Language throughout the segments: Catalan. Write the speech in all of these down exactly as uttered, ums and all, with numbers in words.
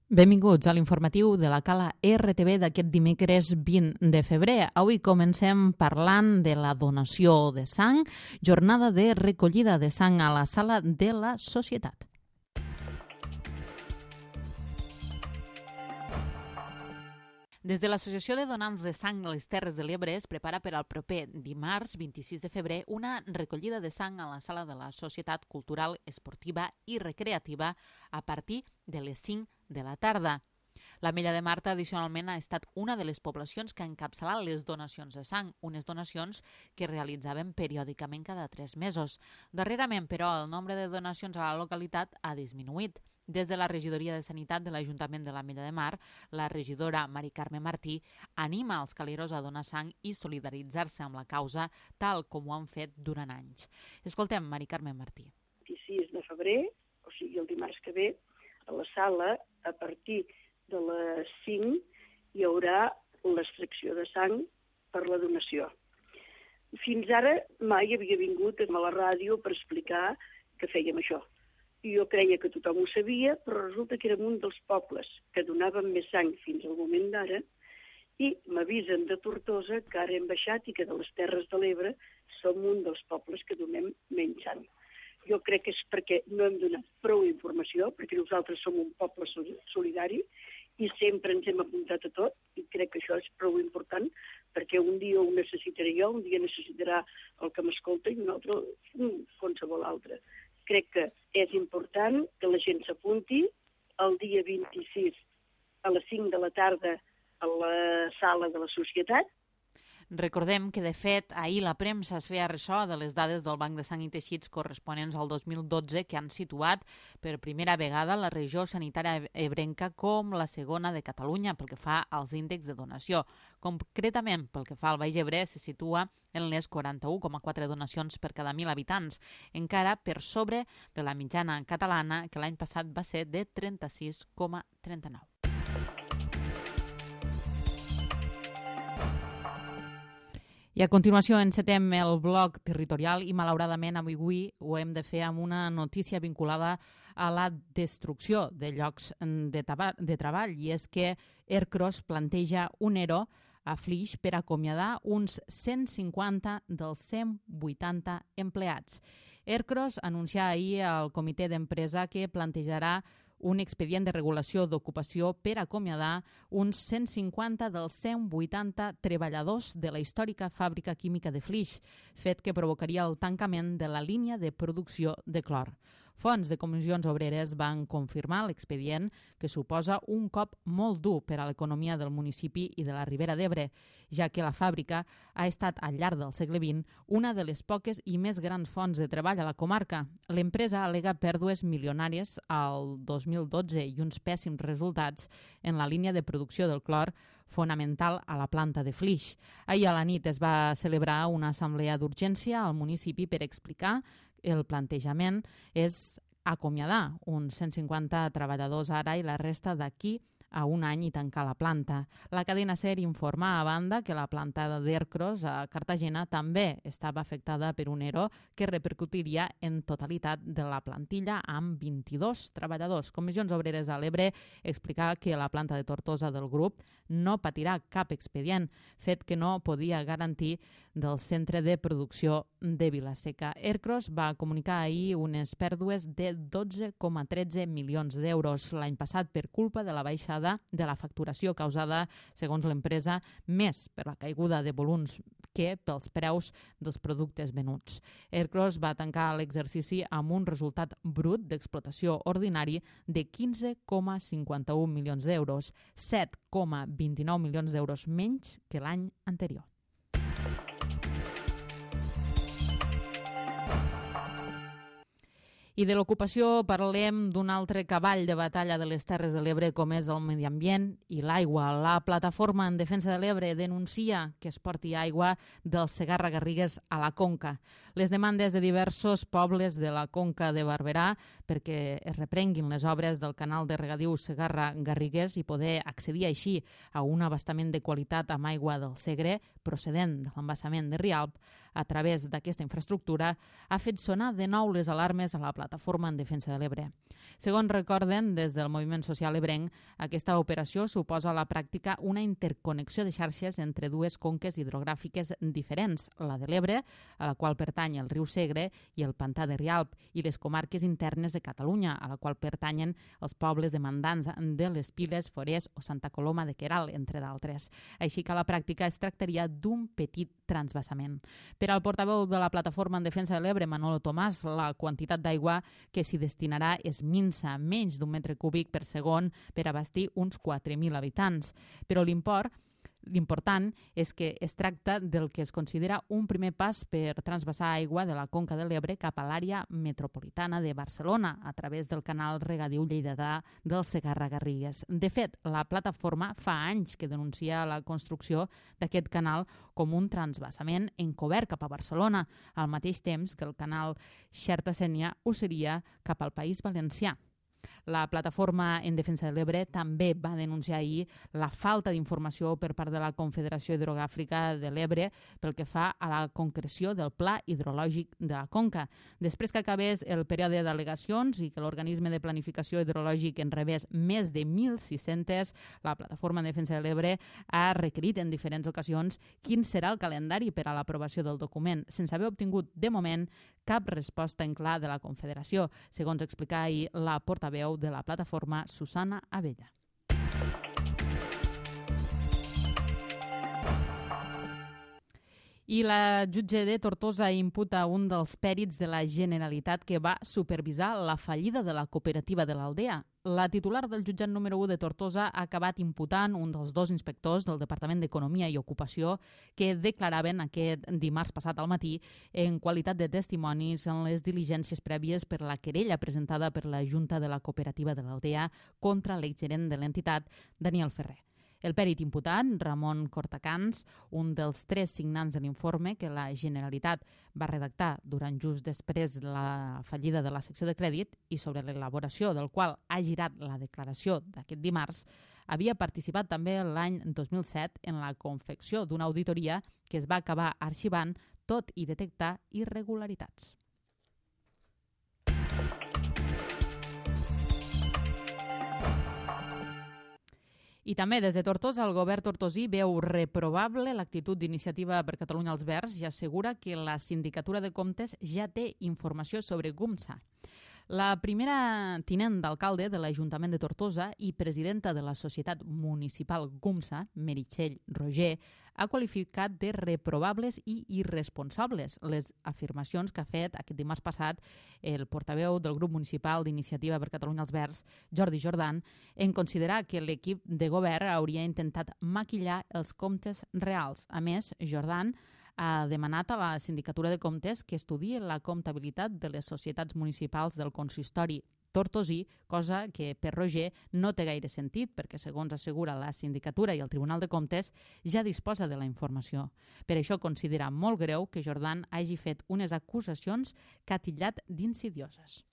Benvinguts a l'informatiu de la Cala R T V d'aquest dimecres vint de febrer. Avui comencem parlant de la donació de sang, jornada de recollida de sang a la Sala de la Societat. Des de l'Associació de Donants de Sang a les Terres de l'Ebre es prepara per al proper dimarts vint-i-sis de febrer una recollida de sang a la Sala de la Societat Cultural, Esportiva i Recreativa a partir de les cinc de la tarda. L'Ametlla de Mar tradicionalment ha estat una de les poblacions que ha encapçalat les donacions de sang, unes donacions que realitzaven periòdicament cada tres mesos. Darrerament, però, el nombre de donacions a la localitat ha disminuït. Des de la Regidoria de Sanitat de l'Ajuntament de l'Ametlla de Mar, la regidora Mari Carme Martí anima els caleros a donar sang i solidaritzar-se amb la causa, tal com ho han fet durant anys. Escoltem Mari Carme Martí. vint-i-sis de febrer, o sigui el dimarts que ve, a la sala, a partir de les cinc, hi haurà l'extracció de sang per la donació. Fins ara mai havia vingut a la ràdio per explicar que fèiem això. Jo creia que tothom ho sabia, però resulta que érem un dels pobles que donaven més sang fins al moment d'ara i m'avisen de Tortosa que ara hem baixat i que de les Terres de l'Ebre som un dels pobles que donem menys sang. Jo crec que és perquè no hem donat prou informació, perquè nosaltres som un poble solidari i sempre ens hem apuntat a tot i crec que això és prou important perquè un dia ho necessitaré jo, un dia necessitarà el que m'escolta i un altre qualsevol altre. Crec que és important que la gent s'apunti el dia vint-i-sis a les cinc de la tarda a la sala de la Societat. Recordem que, de fet, ahir la premsa es feia ressò de les dades del Banc de Sang i Teixits corresponents al dos mil dotze que han situat per primera vegada la regió sanitària ebrenca com la segona de Catalunya pel que fa als índexs de donació. Concretament, pel que fa al Baix Ebre, se situa en les quaranta-u coma quatre donacions per cada mil habitants, encara per sobre de la mitjana catalana, que l'any passat va ser de trenta-sis coma trenta-nou. I a continuació encetem el bloc territorial i malauradament avui ho hem de fer amb una notícia vinculada a la destrucció de llocs de, de treball i és que Ercros planteja un ERO a Flix per acomiadar uns cent cinquanta dels cent vuitanta empleats. Ercros anuncià ahir al comitè d'empresa que plantejarà un expedient de regulació d'ocupació per acomiadar uns cent cinquanta dels cent vuitanta treballadors de la històrica fàbrica química de Flix, fet que provocaria el tancament de la línia de producció de clor. Fonts de comissions obreres van confirmar l'expedient, que suposa un cop molt dur per a l'economia del municipi i de la Ribera d'Ebre, ja que la fàbrica ha estat al llarg del segle vint una de les poques i més grans fonts de treball a la comarca. L'empresa al·lega pèrdues milionàries al dos mil dotze i uns pèssims resultats en la línia de producció del clor fonamental a la planta de Flix. Ahir a la nit es va celebrar una assemblea d'urgència al municipi per explicar el plantejament és acomiadar uns cent cinquanta treballadors ara i la resta d'aquí a un any i tancar la planta. La cadena SER informa a banda que la planta d'Ercros a Cartagena també estava afectada per un ERO que repercutiria en totalitat de la plantilla amb vint-i-dos treballadors. Comissions Obreres a l'Ebre explica que la planta de Tortosa del grup no patirà cap expedient, fet que no podia garantir del centre de producció de Vilaseca. Ercros va comunicar ahir unes pèrdues de dotze coma tretze milions d'euros l'any passat per culpa de la baixada de la facturació causada, segons l'empresa, més per la caiguda de volums que pels preus dels productes venuts. Ercros va tancar l'exercici amb un resultat brut d'explotació ordinari de quinze coma cinquanta-u milions d'euros, set coma vint-i-nou milions d'euros menys que l'any anterior. I de l'ocupació parlem d'un altre cavall de batalla de les Terres de l'Ebre com és el medi ambient i l'aigua. La Plataforma en Defensa de l'Ebre denuncia que es porti aigua del Segarra-Garrigues a la Conca. Les demandes de diversos pobles de la Conca de Barberà perquè es reprenguin les obres del canal de regadiu Segarra-Garrigues i poder accedir així a un abastament de qualitat amb aigua del Segre procedent de l'embassament de Rialp a través d'aquesta infraestructura ha fet sonar de nou les alarmes a la plataforma en defensa de l'Ebre. Segons recorden des del moviment social ebrenc, aquesta operació suposa a la pràctica una interconnexió de xarxes entre dues conques hidrogràfiques diferents, la de l'Ebre, a la qual pertany el riu Segre, i el pantà de Rialp, i les comarques internes de Catalunya, a la qual pertanyen els pobles demandants de les Piles, Forès o Santa Coloma de Queralt, entre d'altres. Així que a la pràctica es tractaria d'un petit transvasament. Per al portaveu de la plataforma en defensa de l'Ebre, Manolo Tomàs, la quantitat d'aigua que s'hi destinarà és minsa, menys d'un metre cúbic per segon per abastir uns quatre mil habitants. Però l'import L'important és que es tracta del que es considera un primer pas per transvasar aigua de la conca de l'Ebre cap a l'àrea metropolitana de Barcelona a través del canal regadiu lleidatà del Segarra-Garrigues. De fet, la plataforma fa anys que denuncia la construcció d'aquest canal com un transvasament encobert cap a Barcelona, al mateix temps que el canal Xerta-Sénia ho seria cap al País Valencià. La plataforma en defensa de l'Ebre també va denunciar ahir la falta d'informació per part de la Confederació Hidrogràfica de l'Ebre pel que fa a la concreció del pla hidrològic de la conca. Després que acabés el període d'al·legacions i que l'organisme de planificació hidrològic en rebés més de mil sis-centes, la plataforma en defensa de l'Ebre ha requerit en diferents ocasions quin serà el calendari per a l'aprovació del document, sense haver obtingut de moment cap resposta en clar de la Confederació, segons explicà ahir la portaveu de la plataforma, Susana Abella. I la jutge de Tortosa imputa un dels pèrits de la Generalitat que va supervisar la fallida de la cooperativa de l'Aldea. La titular del jutjat número u de Tortosa ha acabat imputant un dels dos inspectors del Departament d'Economia i Ocupació que declaraven aquest dimarts passat al matí en qualitat de testimonis en les diligències prèvies per la querella presentada per la Junta de la Cooperativa de l'Aldea contra l'exgerent de l'entitat, Daniel Ferrer. El pèrit imputat, Ramon Cortacans, un dels tres signants de l'informe que la Generalitat va redactar durant just després de la fallida de la secció de crèdit i sobre l'elaboració del qual ha girat la declaració d'aquest dimarts, havia participat també l'any dos mil set en la confecció d'una auditoria que es va acabar arxivant tot i detectar irregularitats. I també des de Tortosa, el govern tortosí veu reprovable l'actitud d'Iniciativa per Catalunya als Verds i assegura que la Sindicatura de Comptes ja té informació sobre GUMSA. La primera tinent d'alcalde de l'Ajuntament de Tortosa i presidenta de la Societat Municipal GUMSA, Meritxell Roger, ha qualificat de reprovables i irresponsables les afirmacions que ha fet aquest dimarts passat el portaveu del grup municipal d'Iniciativa per Catalunya als Verds, Jordi Jordan, en considerar que l'equip de govern hauria intentat maquillar els comptes reals. A més, Jordan ha demanat a la Sindicatura de Comptes que estudiï la comptabilitat de les societats municipals del consistori tortosí, cosa que per Roger no té gaire sentit perquè, segons assegura la Sindicatura i el Tribunal de Comptes, ja disposa de la informació. Per això considera molt greu que Jordan hagi fet unes acusacions que ha titllat d'insidioses.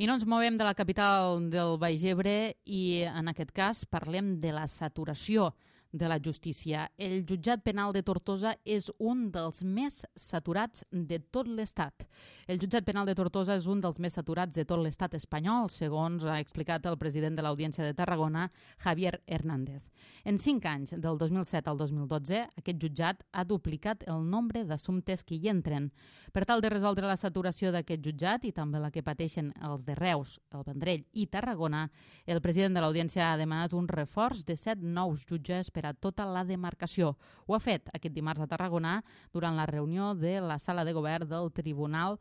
I no ens movem de la capital del Baix Ebre i, en aquest cas, parlem de la saturació de la justícia. El jutjat penal de Tortosa és un dels més saturats de tot l'Estat. El jutjat penal de Tortosa és un dels més saturats de tot l'Estat espanyol, segons ha explicat el president de l'Audiència de Tarragona, Javier Hernández. En cinc anys, del dos mil set al dos mil dotze, aquest jutjat ha duplicat el nombre d'assumptes que hi entren. Per tal de resoldre la saturació d'aquest jutjat i també la que pateixen els de Reus, el Vendrell i Tarragona, el president de l'Audiència ha demanat un reforç de set nous jutges per a tota la demarcació. Ho ha fet aquest dimarts a Tarragona durant la reunió de la sala de govern del tribunal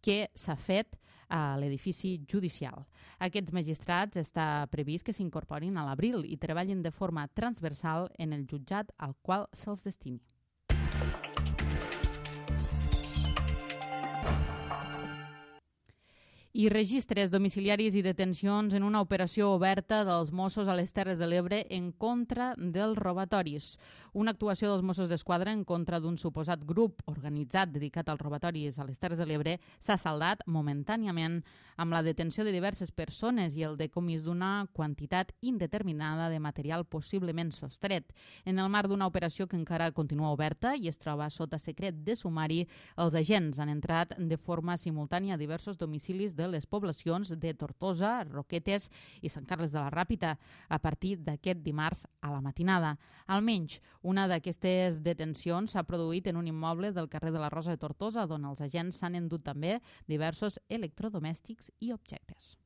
que s'ha fet a l'edifici judicial. Aquests magistrats està previst que s'incorporin a l'abril i treballin de forma transversal en el jutjat al qual se'ls destini. I registres domiciliaris i detencions en una operació oberta dels Mossos a les Terres de l'Ebre en contra dels robatoris. Una actuació dels Mossos d'Esquadra en contra d'un suposat grup organitzat dedicat als robatoris a les Terres de l'Ebre s'ha saldat momentàniament amb la detenció de diverses persones i el decomís d'una quantitat indeterminada de material possiblement sostret. En el marc d'una operació que encara continua oberta i es troba sota secret de sumari, els agents han entrat de forma simultània a diversos domicilis de les poblacions de Tortosa, Roquetes i Sant Carles de la Ràpita a partir d'aquest dimarts a la matinada. Almenys una d'aquestes detencions s'ha produït en un immoble del carrer de la Rosa de Tortosa, on els agents s'han endut també diversos electrodomèstics i objectes.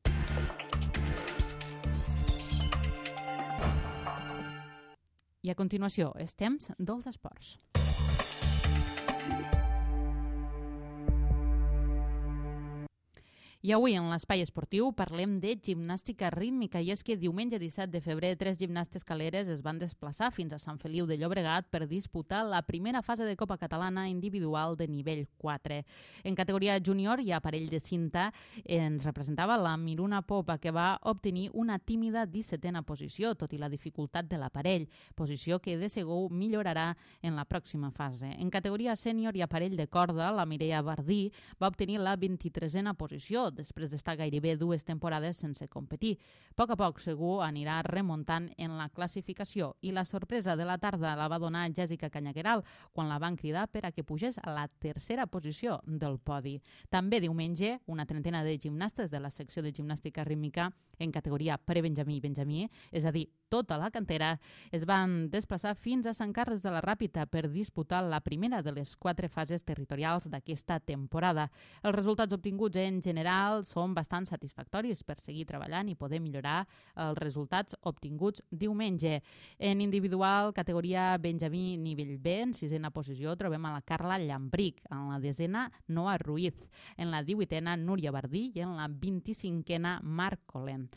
I a continuació, és temps dels esports. I avui en l'espai esportiu parlem de gimnàstica rítmica i és que diumenge disset de febrer tres gimnastes caleres es van desplaçar fins a Sant Feliu de Llobregat per disputar la primera fase de Copa Catalana individual de nivell quatre. En categoria júnior i aparell de cinta ens representava la Miruna Popa, que va obtenir una tímida dissetena posició, tot i la dificultat de l'aparell, posició que de segur millorarà en la pròxima fase. En categoria sènior i aparell de corda, la Mireia Bardí va obtenir la vint-i-tresena posició, després d'estar gairebé dues temporades sense competir. A poc a poc, segur, anirà remuntant en la classificació i la sorpresa de la tarda la va donar Jèssica Canyagueral quan la van cridar per a que pugés a la tercera posició del podi. També diumenge, una trentena de gimnastes de la secció de gimnàstica rítmica en categoria prebenjamí i benjamí, és a dir, tota la cantera, es van desplaçar fins a Sant Carles de la Ràpita per disputar la primera de les quatre fases territorials d'aquesta temporada. Els resultats obtinguts en general són bastant satisfactoris per seguir treballant i poder millorar els resultats obtinguts diumenge. En individual, categoria benjamí nivell B, en sisena posició trobem a la Carla Llambric, en la desena Noa Ruiz, en la divuitena Núria Bardí i en la vint-i-cinquena Marc Colent.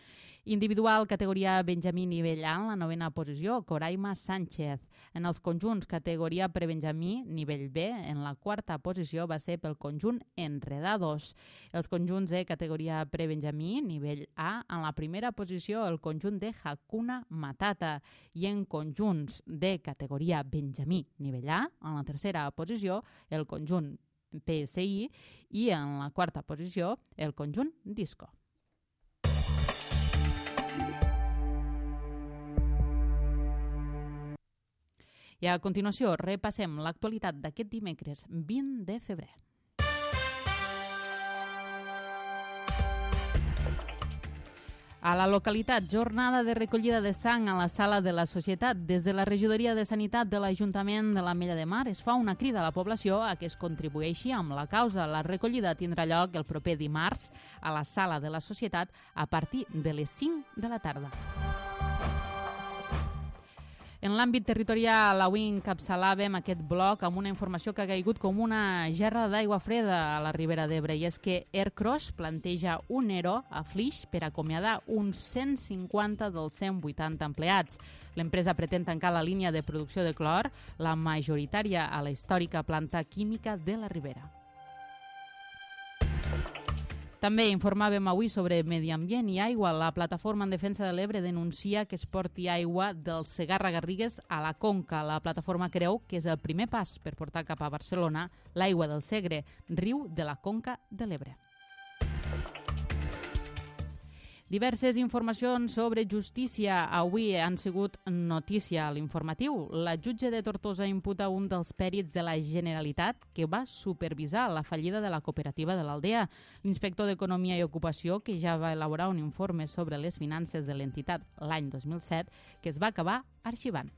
Individual, categoria benjamí nivell A, en la novena posició, Coraima Sánchez. En els conjunts, categoria prebenjamí nivell B, en la quarta posició va ser pel conjunt Enredados. Els conjunts de categoria prebenjamí nivell A, en la primera posició el conjunt de Hakuna Matata i en conjunts de categoria benjamí nivell A, en la tercera posició el conjunt P S I i en la quarta posició el conjunt Disco. I a continuació repassem l'actualitat d'aquest dimecres vint de febrer. A la localitat, jornada de recollida de sang a la sala de la Societat. Des de la Regidoria de Sanitat de l'Ajuntament de l'Ametlla de Mar es fa una crida a la població a que es contribueixi amb la causa. La recollida tindrà lloc el proper dimarts a la sala de la Societat a partir de les cinc de la tarda. En l'àmbit territorial, avui encapçalàvem aquest bloc amb una informació que ha caigut com una gerra d'aigua freda a la Ribera d'Ebre, i és que Aircross planteja un E R O a Flix per acomiadar uns cent cinquanta dels cent vuitanta empleats. L'empresa pretén tancar la línia de producció de clor, la majoritària a la històrica planta química de la Ribera. També informàvem avui sobre medi ambient i aigua. La Plataforma en Defensa de l'Ebre denuncia que es porti aigua del Segarra-Garrigues a la Conca. La plataforma creu que és el primer pas per portar cap a Barcelona l'aigua del Segre, riu de la Conca de l'Ebre. Diverses informacions sobre justícia avui han sigut notícia a l'informatiu. La jutge de Tortosa imputa un dels pèrits de la Generalitat que va supervisar la fallida de la cooperativa de l'Aldea. L'inspector d'Economia i Ocupació, que ja va elaborar un informe sobre les finances de l'entitat l'any dos mil set, que es va acabar arxivant.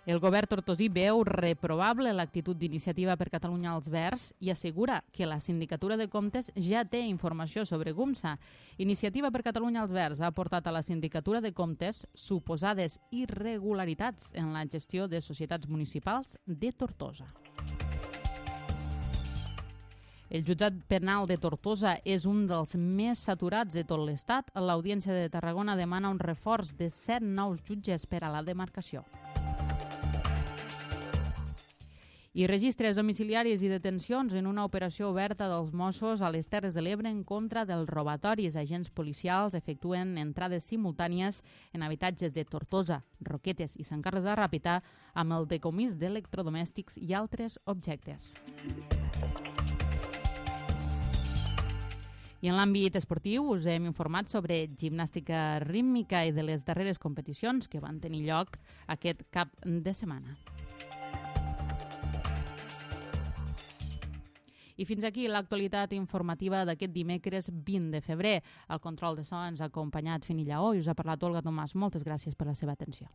El govern tortosí veu reprovable l'actitud d'Iniciativa per Catalunya als Verds i assegura que la Sindicatura de Comptes ja té informació sobre Gumsa. Iniciativa per Catalunya als Verds ha aportat a la Sindicatura de Comptes suposades irregularitats en la gestió de societats municipals de Tortosa. El jutjat penal de Tortosa és un dels més saturats de tot l'Estat. L'Audiència de Tarragona demana un reforç de set nous jutges per a la demarcació. I registres domiciliaris i detencions en una operació oberta dels Mossos a les Terres de l'Ebre en contra dels robatoris. Agents policials efectuen entrades simultànies en habitatges de Tortosa, Roquetes i Sant Carles de Ràpita amb el decomís d'electrodomèstics i altres objectes. I en l'àmbit esportiu us hem informat sobre gimnàstica rítmica i de les darreres competicions que van tenir lloc aquest cap de setmana. I fins aquí l'actualitat informativa d'aquest dimecres vint de febrer. El control de so ens ha acompanyat Fini Lleó i us ha parlat Olga Tomàs. Moltes gràcies per la seva atenció.